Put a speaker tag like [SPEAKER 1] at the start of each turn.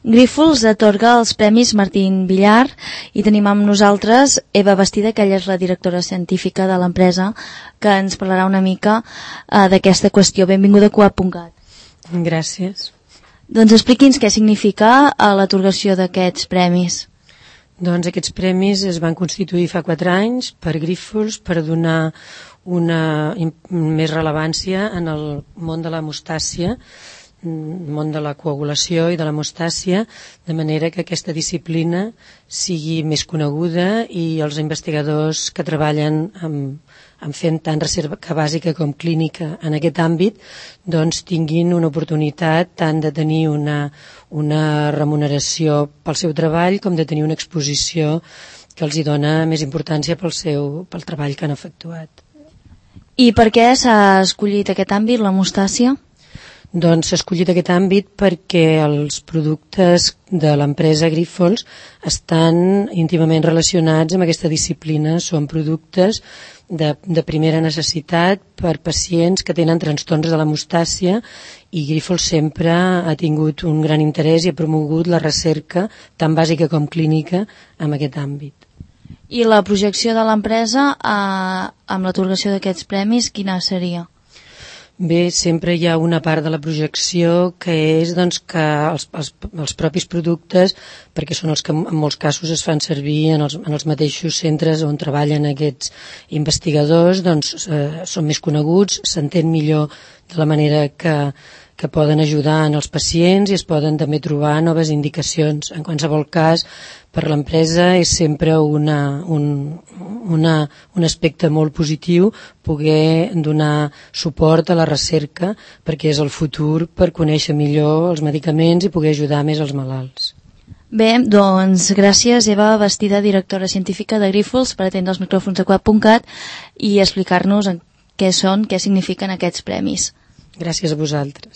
[SPEAKER 1] Grífols atorga els Premis Martín Villar i tenim amb nosaltres Eva Bastida, que ella és la directora científica de l'empresa, que ens parlarà una mica d'aquesta qüestió. Benvinguda a Coap.cat.
[SPEAKER 2] Gràcies.
[SPEAKER 1] Doncs expliqui'ns què significa l'atorgació d'aquests premis.
[SPEAKER 2] Doncs aquests premis es van constituir fa 4 anys per Grífols per donar una més rellevància en el món de l'hemostàcia, món de la coagulació i de l'hemostàcia, de manera que aquesta disciplina sigui més coneguda i els investigadors que treballen en fent tant recerca bàsica com clínica en aquest àmbit doncs tinguin una oportunitat tant de tenir una remuneració pel seu treball com de tenir una exposició que els hi dona més importància pel treball que han efectuat.
[SPEAKER 1] I per què s'ha escollit aquest àmbit, l'hemostàcia?
[SPEAKER 2] Doncs s'ha escollit aquest àmbit perquè els productes de l'empresa Grífols estan íntimament relacionats amb aquesta disciplina. Són productes de primera necessitat per pacients que tenen trastorns de l'hemostàcia i Grífols sempre ha tingut un gran interès i ha promogut la recerca tant bàsica com clínica en aquest àmbit.
[SPEAKER 1] I la projecció de l'empresa amb l'atorgació d'aquests premis, quina seria?
[SPEAKER 2] Bé, sempre hi ha una part de la projecció que és doncs, que els propis productes, perquè són els que en molts casos es fan servir en els mateixos centres on treballen aquests investigadors, doncs són més coneguts, s'entén millor de la manera que poden ajudar en els pacients i es poden també trobar noves indicacions. En qualsevol cas, per l'empresa és sempre un aspecte molt positiu poder donar suport a la recerca perquè és el futur per conèixer millor els medicaments i poder ajudar més els malalts.
[SPEAKER 1] Bé, doncs gràcies Eva Bastida, directora científica de Grífols, per atendre els micròfons de Coap.cat i explicar-nos què signifiquen aquests premis.
[SPEAKER 2] Gràcies a vosaltres.